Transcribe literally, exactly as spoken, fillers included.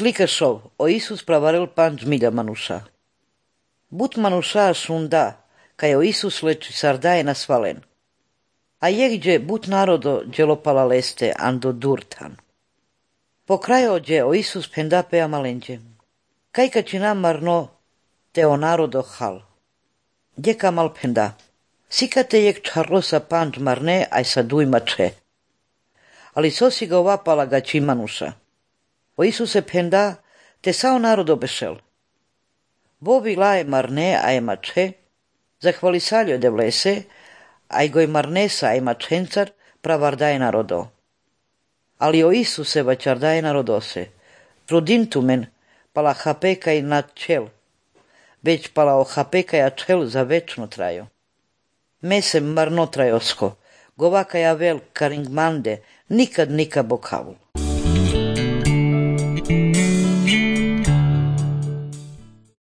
Slika šov, o Isus pravarel panč milja manuša. But manuša šunda, kaj o Isus leči sardaje na svalen. A je gdje but narodo dželopala leste ando durtan. Po kraju gdje o Isus penda pea malenđe. Kaj kačina marno te o narodo hal. Gdje kamal penda. Sikate jek čarlosa panč marne aj sa duj mače. Ali sosi ga ovapala ga čimanuša. O Isuse penda te sao narodo bešel. Bobi laje marne aj mače, zahvali saljo de vlese, aj goj marnesa aj mačencar pravardaje narodo. Ali o Isuse vačardaje narodose. Trudintumen pala hapekaj na čel, već pala o hapekaja čel za večno trajo. Mesem marno trajosko, govakaja vel karingmande, nikad nika bokavu.